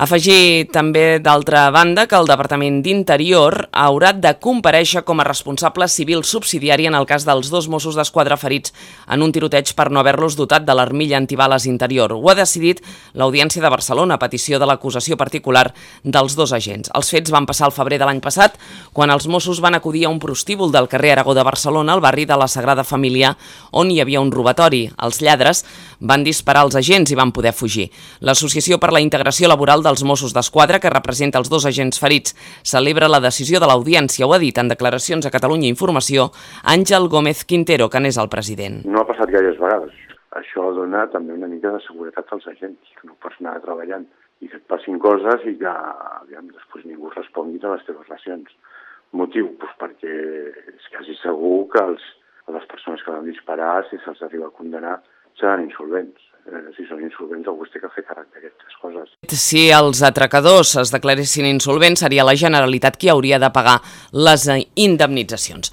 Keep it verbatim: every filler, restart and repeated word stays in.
Afegir també, d'altra banda, que el Departament d'Interior haurà de comparèixer com a responsable civil subsidiari en el cas dels dos Mossos d'Esquadra ferits en un tiroteig per no haver-los dotat de l'armilla antibales interior. Ho ha decidit l'Audiència de Barcelona, a petició de l'acusació particular dels dos agents. Els fets van passar al febrer de l'any passat, quan els Mossos van acudir a un prostíbul del carrer Aragó de Barcelona, al barri de la Sagrada Família, on hi havia un robatori. Els lladres van disparar als agents i van poder fugir. L'Associació per la Integració Laboral del els Mossos d'Esquadra, que representa els dos agents ferits, celebra la decisió de l'Audiència. Ho ha dit en declaracions a Catalunya Informació Àngel Gómez Quintero, que n'és el president. No ha passat gaires vegades. Això dona també una mica de seguretat als agents, que no pots anar treballant i que et passin coses i que aviam, després ningú respongui a les teves racions. Motiu? Doncs perquè és quasi segur que els, les persones que van disparar, si se'ls arriba a condenar, seran insolvents. Eh, si són insolvents, algú es té que fer càrrec d'aquestes coses. Si els atracadors es declaressin insolvents, seria la Generalitat qui hauria de pagar les indemnitzacions.